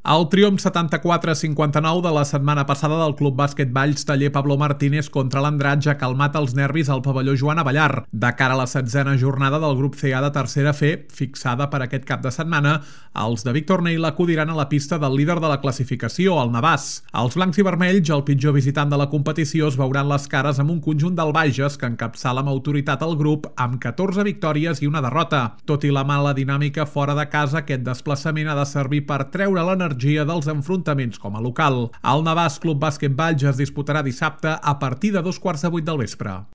El triomf 74-59 de la setmana passada del Club Bàsquet Valls Taller Pablo Martínez contra l'Andratx ha calmat els nervis al pavelló Joan Abellar. De cara a la 16a jornada del grup CA de tercera F, fixada per aquest cap de setmana, els de Víctor Neil acudiran a la pista del líder de la classificació, el Navàs. Els blancs i vermells, el pitjor visitant de la competició, es veuran les cares amb un conjunt del Bages que encapçala amb autoritat el grup amb 14 victòries i una derrota. Tot i la mala dinàmica fora de casa, aquest desplaçament ha de servir per treure l'energia dels enfrontaments com a local. El Navàs Club Bàsquet Valls es disputarà dissabte a partir de 2:15 del vespre.